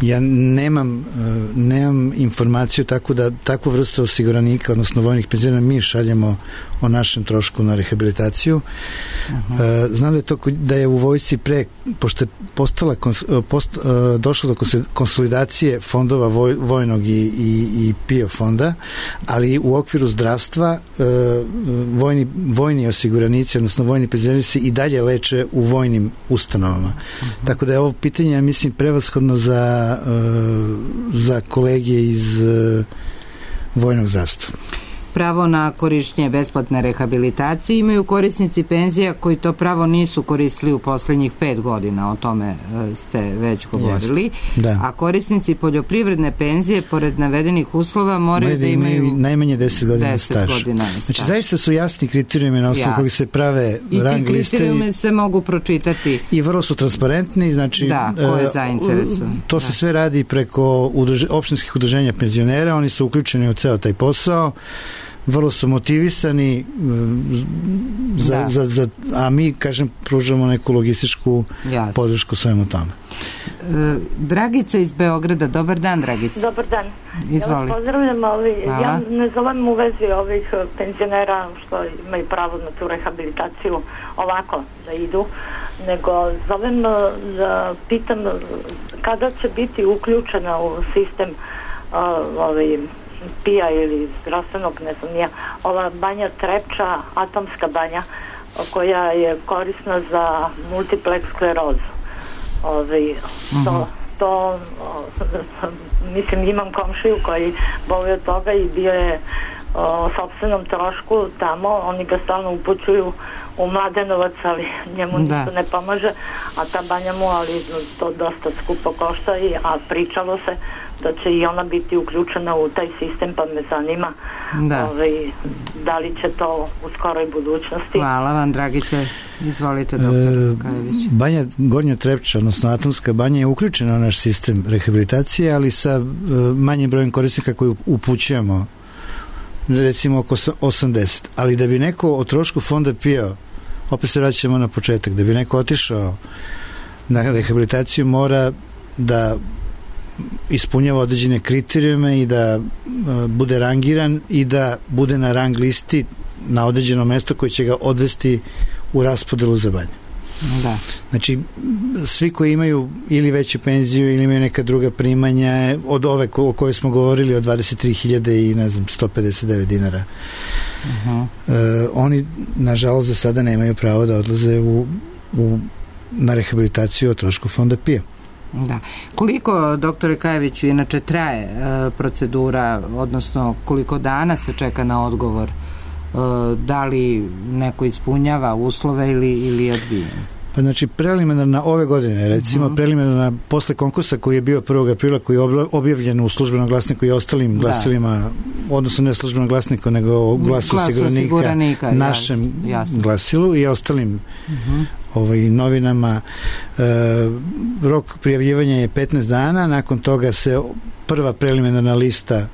ja nemam uh, nemam informaciju tako da takvu vrstu osiguranika, odnosno vojnih penzionera mi šaljemo o našem trošku na rehabilitaciju. Uh-huh. Uh, znam da je to da je u vojsci pre, pošto je postala kons, post, uh, došlo do konsolidacije fondova voj, vojnog i, i, i PIO fonda, ali u okviru zdravstva uh, vojni, vojni osiguranici, odnosno vojni penzioneri se i dalje leče u vojnim ustanovama. Uh-huh. Tako da je ovo pitanje, ja mislim, prevashodno za, uh, za kolege iz uh, vojnog zdravstva. Pravo na korišćenje besplatne rehabilitacije imaju korisnici penzija koji to pravo nisu koristili u posljednjih pet godina, o tome ste već govorili. Da. A korisnici poljoprivredne penzije pored navedenih uslova moraju da, da imaju, imaju najmanje deset godina staža. Znači zaista su jasni kriterijumi na osnovu kojih se prave rang liste. I ti kriterijumi se mogu pročitati. I vrlo su transparentni, znači da, ko je zainteresovan. To se da. sve radi preko udruž, opštinskih udruženja penzionera, oni su uključeni u ceo taj posao, vrlo su motivisani za, za, za, a mi, kažem, pružamo neku logističku Jasne. podršku svemu tome. E, Dragica iz Beograda, dobar dan, Dragica. Dobar dan. Izvoli. Ja pozdravljam, ovi, ja ne zovem u vezi ovih penzionera što imaju pravo na tu rehabilitaciju ovako da idu, nego zovem da pitam kada će biti uključena u sistem ovaj PIA ili zdravstvenog, ne znam nija, ova banja Trepča, atomska banja, koja je korisna za multiplex sklerozu. Ove, to, to o, mislim, imam komšiju koji boluje od toga i bio je o sopstvenom trošku tamo, oni ga stalno upućuju u Mladenovac, ali njemu da. ništa ne pomaže, a ta banja mu, ali to dosta skupo košta, i, a pričalo se da će i ona biti uključena u taj sistem, pa me zanima da, ovaj, da li će to u skoroj budućnosti. Hvala vam, Dragice, izvolite, doktor Kajević. E, banja Gornja Trepča, odnosno Atomska banja, je uključena u naš sistem rehabilitacije, ali sa e, manjim brojem korisnika koji upućujemo, recimo oko osamdeset, ali da bi neko o trošku fonda P I O, opet se vraćamo na početak, da bi neko otišao na rehabilitaciju, mora da ispunjava određene kriterijume i da uh, bude rangiran i da bude na rang listi na određeno mesto koje će ga odvesti u raspodelu za banju. Da. Znači, svi koji imaju ili veću penziju ili imaju neka druga primanja od ove ko, o kojoj smo govorili, od dvadeset tri hiljade i ne znam sto pedeset devet dinara, uh-huh. uh, oni nažalost za sada nemaju pravo da odlaze u, u, na rehabilitaciju o trošku fonda P I O. Da. Koliko, doktore Kajeviću, inače traje e, procedura, odnosno koliko dana se čeka na odgovor? E, da li neko ispunjava uslove ili, ili je odbijen? Pa znači, preliminarna ove godine, recimo, uh-huh. preliminarna posle konkursa koji je bio prvog aprila, koji je objavljen u službenom glasniku i ostalim da. glasilima, odnosno ne službenom glasniku, nego u glasu osiguranika, našem jasno. glasilu i ostalim uh-huh. ovaj, novinama. E, rok prijavljivanja je petnaest dana, nakon toga se prva preliminarna lista e,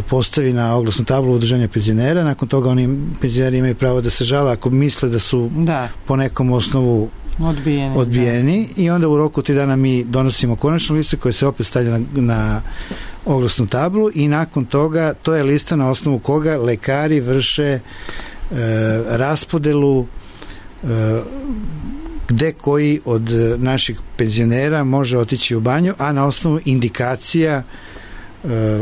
postavi na oglasnu tablu udruženja penzionera, nakon toga oni penzioneri imaju pravo da se žale ako misle da su da. po nekom osnovu odbijeni, odbijeni i onda u roku tri dana mi donosimo konačnu listu koja se opet stavlja na, na oglasnu tablu i nakon toga to je lista na osnovu koga lekari vrše e, raspodelu e, gde koji od naših penzionera može otići u banju, a na osnovu indikacija e,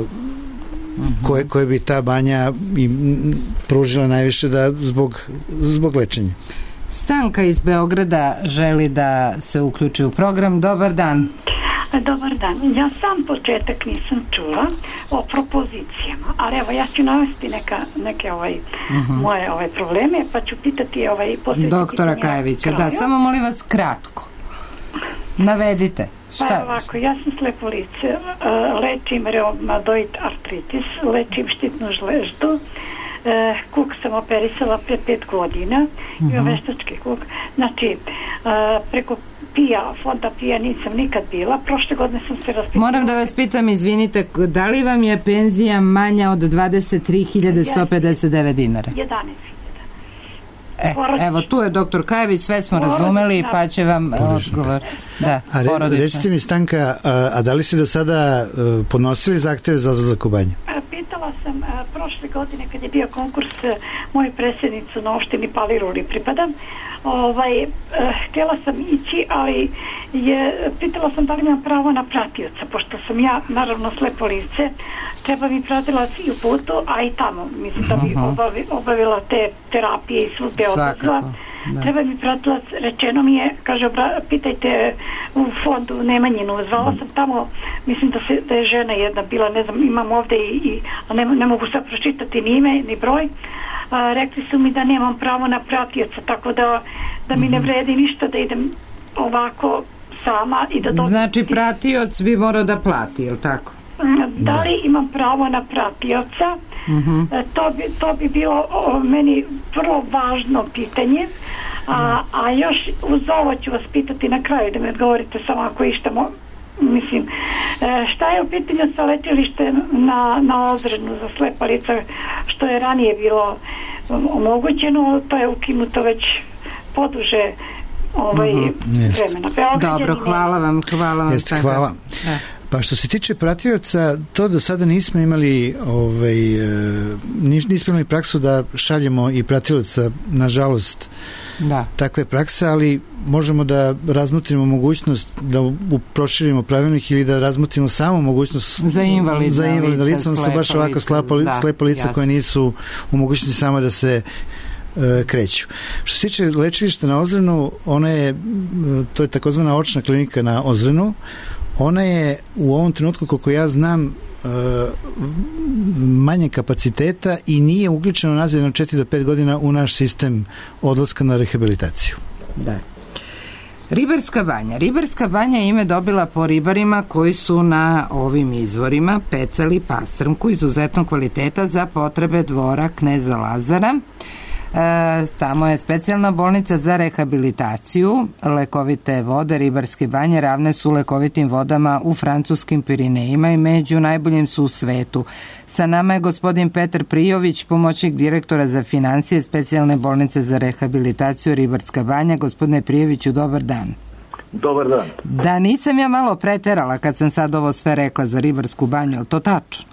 koje, koje bi ta banja im pružila najviše da zbog, zbog lečenja. Stanka iz Beograda želi da se uključi u program. Dobar dan. Dobar dan. Ja sam početak nisam čula o propozicijama, ali evo ja ću navesti neka, neke ovaj, uh-huh. moje ovaj probleme, pa ću pitati ovaj doktora Kajevića. Da, samo molim vas kratko. Navedite. Šta? Pa ovako, ja sam slepo lice, lečim reumatoid artritis, lečim štitnu žleždu, kuk sam operisala pre pet godina, uh-huh. imam veštački kuk, znači preko P I A, fonda P I A nisam nikad bila, prošle godine sam se raspitala. Moram da vas pitam, izvinite, da li vam je penzija manja od dvadeset tri hiljade sto pedeset devet dinara? jedanaest hiljada. E, evo, tu je doktor Kajević, sve smo porodična. razumeli, pa će vam odgovor. Da, a re, recite mi, Stanka, a, a da li ste do sada a, podnosili zahteve za odlazak u banju? Pitala sam a, prošle godine kad je bio konkurs a, moju predsjednicu na opštini Paliruli pripadam, ovaj, a, htjela sam ići, ali je, pitala sam da li imam pravo na pratioca, pošto sam ja naravno slepo lice, treba mi pratilac i u putu, a i tamo, mislim da bi obavi, obavila te terapije i svugde odlazila. Treba mi pratilac, rečeno mi je, kaže, obra, pitajte u fondu Nemanjinu, zvala sam tamo, mislim da, se, da je žena jedna bila, ne znam, imam ovde i, i a ne, ne mogu sad pročitati ni ime, ni broj, a, rekli su mi da nemam pravo na pratioca, tako da, da mi ne vredi ništa da idem ovako sama i da dođem. Znači pratioc bi morao da plati, je li tako? Da li imam pravo na pratioca? Uh-huh. To, bi, to bi bilo o, meni vrlo važno pitanje, a, a još uz ovo ću vas pitati na kraju da mi odgovorite samo ako išta mo, mislim, šta je u pitanju sa lečilištem na, na Ozrenu za slepa lica, što je ranije bilo omogućeno, to je ukinuto već poduže ovaj uh-huh. vremena. Beograd Dobro, hvala vam, hvala vam. Jeste, hvala. Da. Pa što se tiče pratioca, to do sada nismo imali ovaj, nismo imali praksu da šaljemo i pratioca, nažalost, da. takve prakse, ali možemo da razmotrimo mogućnost da proširimo pravilnik ili da razmotrimo samo mogućnost za invalidna, za invalidna lica, lica odnosno baš ovako slepo, da, slepo lica koje nisu u mogućnosti samo da se e, kreću. Što se tiče lečilišta na Ozrenu, ona je, to je takozvana očna klinika na Ozrenu. ona je u ovom trenutku, koliko ja znam, manje kapaciteta i nije uključeno nazad na četiri do pet godina u naš sistem odlaska na rehabilitaciju. Da. Ribarska banja. Ribarska banja ime dobila po ribarima koji su na ovim izvorima pecali pastrmku izuzetnog kvaliteta za potrebe dvora kneza Lazara. E, tamo je specijalna bolnica za rehabilitaciju. Lekovite vode Ribarske banje ravne su lekovitim vodama u francuskim Pirinejima i među najboljim su u svetu. Sa nama je gospodin Petar Prijović, pomoćnik direktora za financije specijalne bolnice za rehabilitaciju Ribarska banja. Gospodine Prijoviću, dobar dan. Dobar dan. Da nisam ja malo preterala kad sam sad ovo sve rekla za Ribarsku banju, je li to tačno?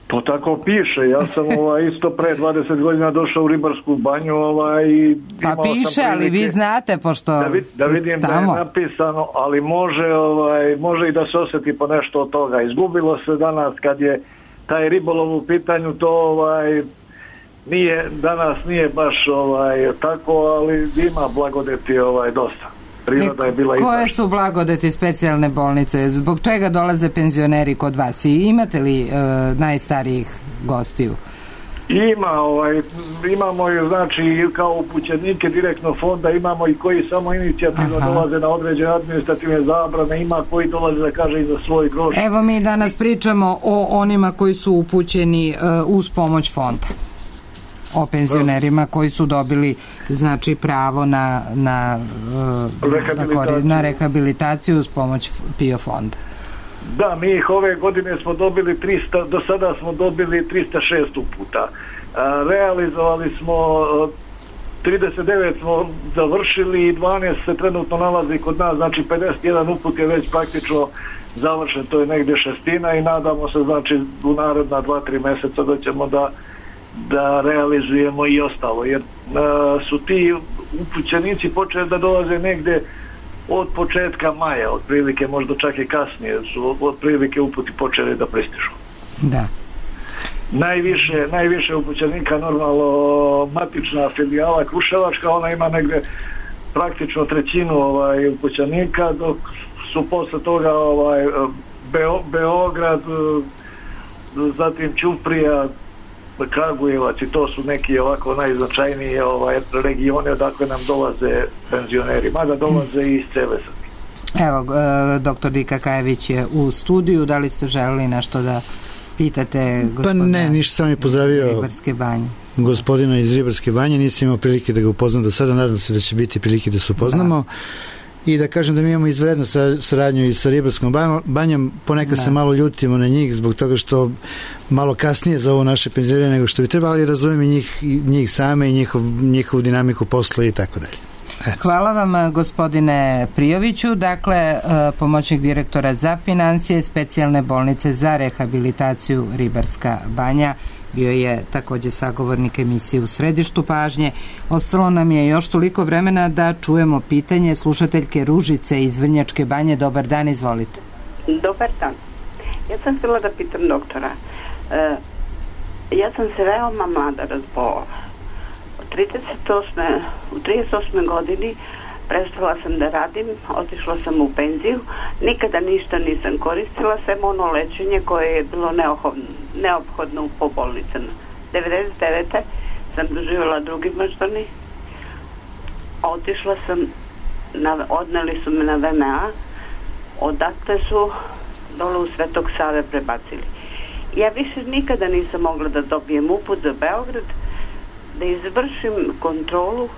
To tako piše, ja sam ovaj, isto pre dvadeset godina došao u Ribarsku banju ovaj, i pa piše, ali vi znate pošto da, vid, da vidim tamo. Da je napisano, ali može, ovaj, može i da se osjeti po nešto od toga. Izgubilo se danas kad je taj ribolov u pitanju, to ovaj, nije, danas nije baš ovaj, tako, ali ima blagodeti ovaj, dosta. Priroda je bila. Koje su blagodeti specijalne bolnice? Zbog čega dolaze penzioneri kod vas? I imate li e, najstarijih gostiju? Ima, ovaj, imamo i znači kao upućenike direktno fonda, imamo i koji samo inicijativno Aha. dolaze na određene administrativne zabrane, ima koji dolaze da kaže i za svoj groš. Evo mi danas pričamo o onima koji su upućeni e, uz pomoć fonda. O penzionerima koji su dobili znači pravo na na, rehabilitaciju. na rehabilitaciju uz pomoć PIO fonda. Da, mi ih ove godine smo dobili trista, do sada smo dobili trista šest uputa. Realizovali smo trideset devet smo završili i dvanaest se trenutno nalazi kod nas, znači pedeset jedan uput je već praktično završen, to je negdje šestina i nadamo se znači u naredna dva tri mjeseca da ćemo da da realizujemo i ostalo, jer a, su ti upućenici počeli da dolaze negde od početka maja, otprilike možda čak i kasnije su otprilike uputi počeli da pristižu. Da. Najviše, najviše upućenika normalno matična filijala Kruševačka, ona ima negde praktično trećinu ovaj, upućenika, dok su posle toga ovaj, Beo, Beograd, zatim Ćuprija, Kragujevac i to su neki ovako najznačajniji ovaj, regioni odakle nam dolaze penzioneri, mada dolaze i iz cele Srbije. Evo, doktor Dika Kajević je u studiju, da li ste želeli nešto da pitate gospodina? Pa ne, ništa, sam je pozdravio Ribarske banje. Gospodina iz Ribarske banje, nisam imao prilike da ga upoznam do sada, nadam se da će biti prilike da se upoznamo. Da. I da kažem da mi imamo izvrednu saradnju i sa Ribarskom banjom, ponekad da. se malo ljutimo na njih zbog toga što malo kasnije za ovo naše penzionere nego što bi trebalo, ali razumijem i njih, njih same i njihov, njihovu dinamiku posla i tako dalje. Eto. Hvala vam gospodine Prijoviću, dakle pomoćnik direktora za financije specijalne bolnice za rehabilitaciju Ribarska banja. Bio je također sagovornik emisije U središtu pažnje. Ostalo nam je još toliko vremena da čujemo pitanje slušateljke Ružice iz Vrnjačke banje. Dobar dan, izvolite. Dobar dan. Ja sam htjela da pitam doktora. E, ja sam se veoma mlada razbola. U trideset osme godini prestala sam da radim, otišla sam u penziju, nikada ništa nisam koristila, sem ono lečenje koje je bilo neophodno, neophodno po bolnicama. devedeset devete sam doživjela drugi moždani, otišla sam, na, odneli su me na V M A, odatle su dole u Svetog Save prebacili. Ja više nikada nisam mogla da dobijem uput za Beograd, da izvršim kontrolu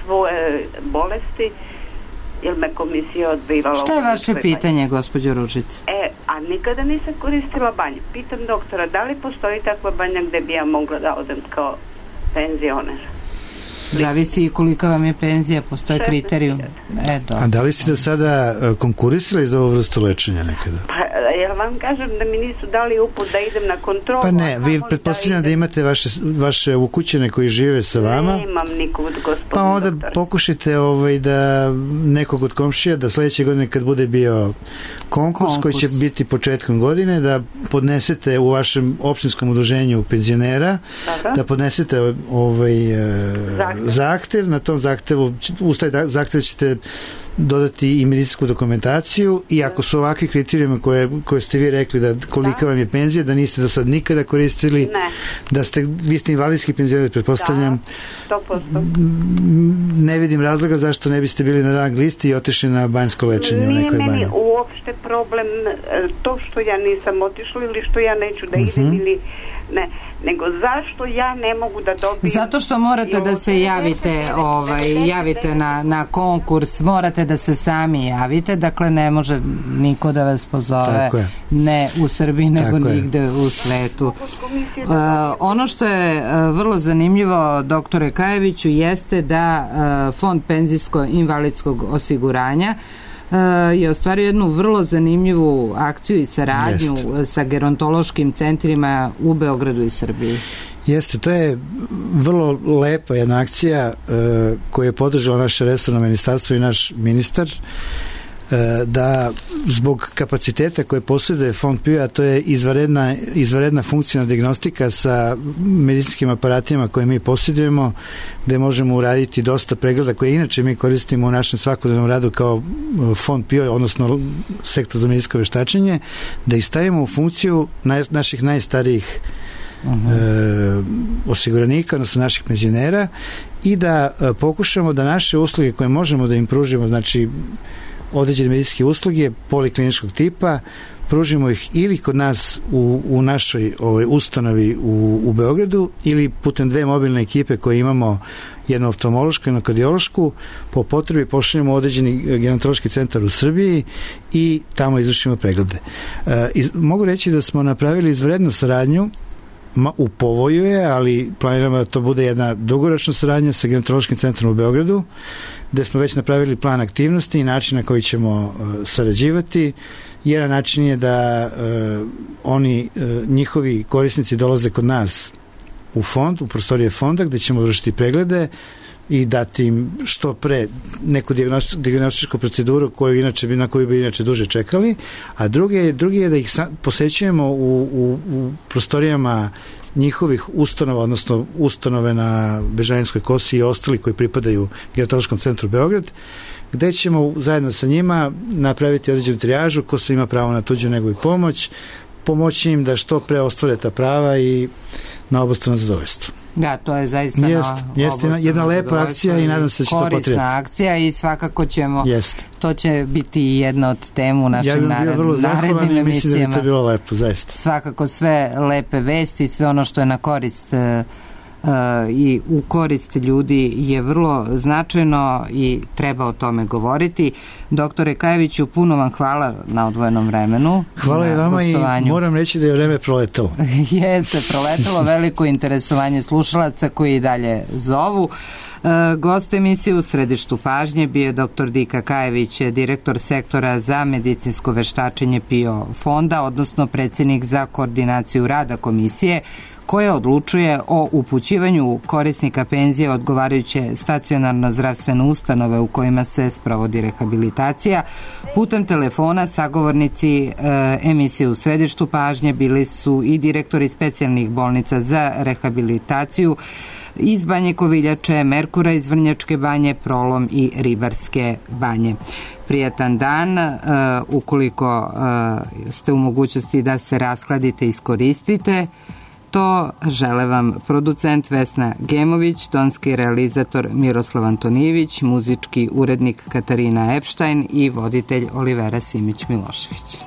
svoje bolesti, jer me komisija odbivala. Šta je vaše pitanje, gospođo Ružice? E, a nikada nisam koristila banju. Pitam doktora, da li postoji takva banja gde bi ja mogla da odem kao penzioner? Zavisi i kolika vam je penzija, postoje kriterijum. E, A da li ste da sada konkurisali za ovu vrstu lečenja nekada? Pa, ja vam kažem da mi nisu dali uput da idem na kontrolu. Pa ne, vi pretpostavljam da, da imate vaše, vaše ukućene koji žive sa vama. Nemam nikog, gospodin Pa onda doktor. pokušajte ovaj, da nekog od komšija, da sledeće godine kad bude bio konkurs, konkurs koji će biti početkom godine, da podnesete u vašem opštinskom udruženju penzionera, Dobro. da podnesete ovaj, zahtev. zahtev. Na tom zahtevu, uz taj zahtev ćete dodati i medicinsku dokumentaciju i ako su ovakvi kriterijumi koje, koje ste vi rekli da kolika da. vam je penzija, da niste do sad nikada koristili, ne. da ste, vi ste invalidski penzioner, pretpostavljam, da, sto posto. Ne vidim razloga zašto ne biste bili na rang listi i otišli na banjsko lečenje u nekoj banji. Nije meni uopšte problem to što ja nisam otišla ili što ja neću da idem uh-huh. ili ne, nego zašto ja ne mogu da dobijem. Zato što morate da se javite, ovaj, javite na, na konkurs, morate da se sami javite, dakle ne može niko da vas pozove, ne u Srbiji, nego Tako nigde je. u svetu. Uh, ono što je uh, vrlo zanimljivo, doktore Kajeviću, jeste da uh, Fond penzijsko-invalidskog osiguranja je ostvario jednu vrlo zanimljivu akciju i saradnju Jeste. sa gerontološkim centrima u Beogradu i Srbiji. Jeste, to je vrlo lepa jedna akcija uh, koju je podržalo naše resorno ministarstvo i naš ministar, da zbog kapaciteta koje posjeduje Fond P I O, a to je izvanredna, izvanredna funkcionalna dijagnostika sa medicinskim aparatima koje mi posjedujemo, gde možemo uraditi dosta pregleda koje inače mi koristimo u našem svakodnevnom radu kao Fond P I O, odnosno sektor za medicinsko veštačenje, da ih stavimo u funkciju naj, naših najstarijih Uh-huh. E, osiguranika, odnosno naših penzionera, i da e, pokušamo da naše usluge koje možemo da im pružimo, znači određene medicinske usluge polikliničkog tipa, pružimo ih ili kod nas u, u našoj ovoj ustanovi u, u Beogradu ili putem dve mobilne ekipe koje imamo, jednu oftalmološku i jednu kardiološku, po potrebi pošaljemo određeni gerontološki centar u Srbiji i tamo izvršimo preglede. E, iz, mogu reći da smo napravili izvrednu saradnju, Ma, u povoju je, ali planiramo da to bude jedna dugoročna saradnja sa gerontološkim centrom u Beogradu, gde smo već napravili plan aktivnosti i način na koji ćemo uh, sarađivati. Jedan način je da uh, oni, uh, njihovi korisnici dolaze kod nas u fond, u prostorije fonda, gde ćemo vršiti preglede i dati im što pre neku dijagnostičku proceduru koju inače, na koju bi inače duže čekali, a drugi, drugi je da ih posećujemo u, u, u prostorijama njihovih ustanova, odnosno ustanove na Bežanijskoj kosi i ostali koji pripadaju gerontološkom centru Beograd, gde ćemo zajedno sa njima napraviti određenu trijažu, ko se ima pravo na tuđu nego i pomoć, pomoći im da što pre ostvare ta prava i na obostrano zadovoljstvo. Da, to je zaista jest, jest jedna lepa akcija i nadam se da će to potrebiti. Korisna akcija i svakako ćemo, jest. to će biti jedna od temu u našim ja nared, narednim emisijama. Mislim da bi to bilo lepo, zaista. Svakako sve lepe vesti, sve ono što je na korist Uh, i u korist ljudi je vrlo značajno i treba o tome govoriti. Doktore Kajeviću, puno vam hvala na odvojenom vremenu. Hvala i vama i moram reći da je vreme proletalo. Jeste, proletalo, veliko interesovanje slušalaca koji i dalje zovu. Uh, gost emisije u središtu pažnje bio je doktor Dika Kajević, direktor sektora za medicinsko veštačenje P I O fonda, odnosno predsjednik za koordinaciju rada komisije koja odlučuje o upućivanju korisnika penzije odgovarajuće stacionarno zdravstvene ustanove u kojima se sprovodi rehabilitacija. Putem telefona sagovornici e, emisije u središtu pažnje bili su i direktori specijalnih bolnica za rehabilitaciju iz Banje Koviljače, Merkura iz Vrnjačke banje, Prolom i Ribarske banje. Prijatan dan, uh, ukoliko uh, ste u mogućnosti da se raskladite, iskoristite to. Žele vam producent Vesna Gemović, tonski realizator Miroslav Antonijević, muzički urednik Katarina Epštajn i voditelj Olivera Simić Milošević.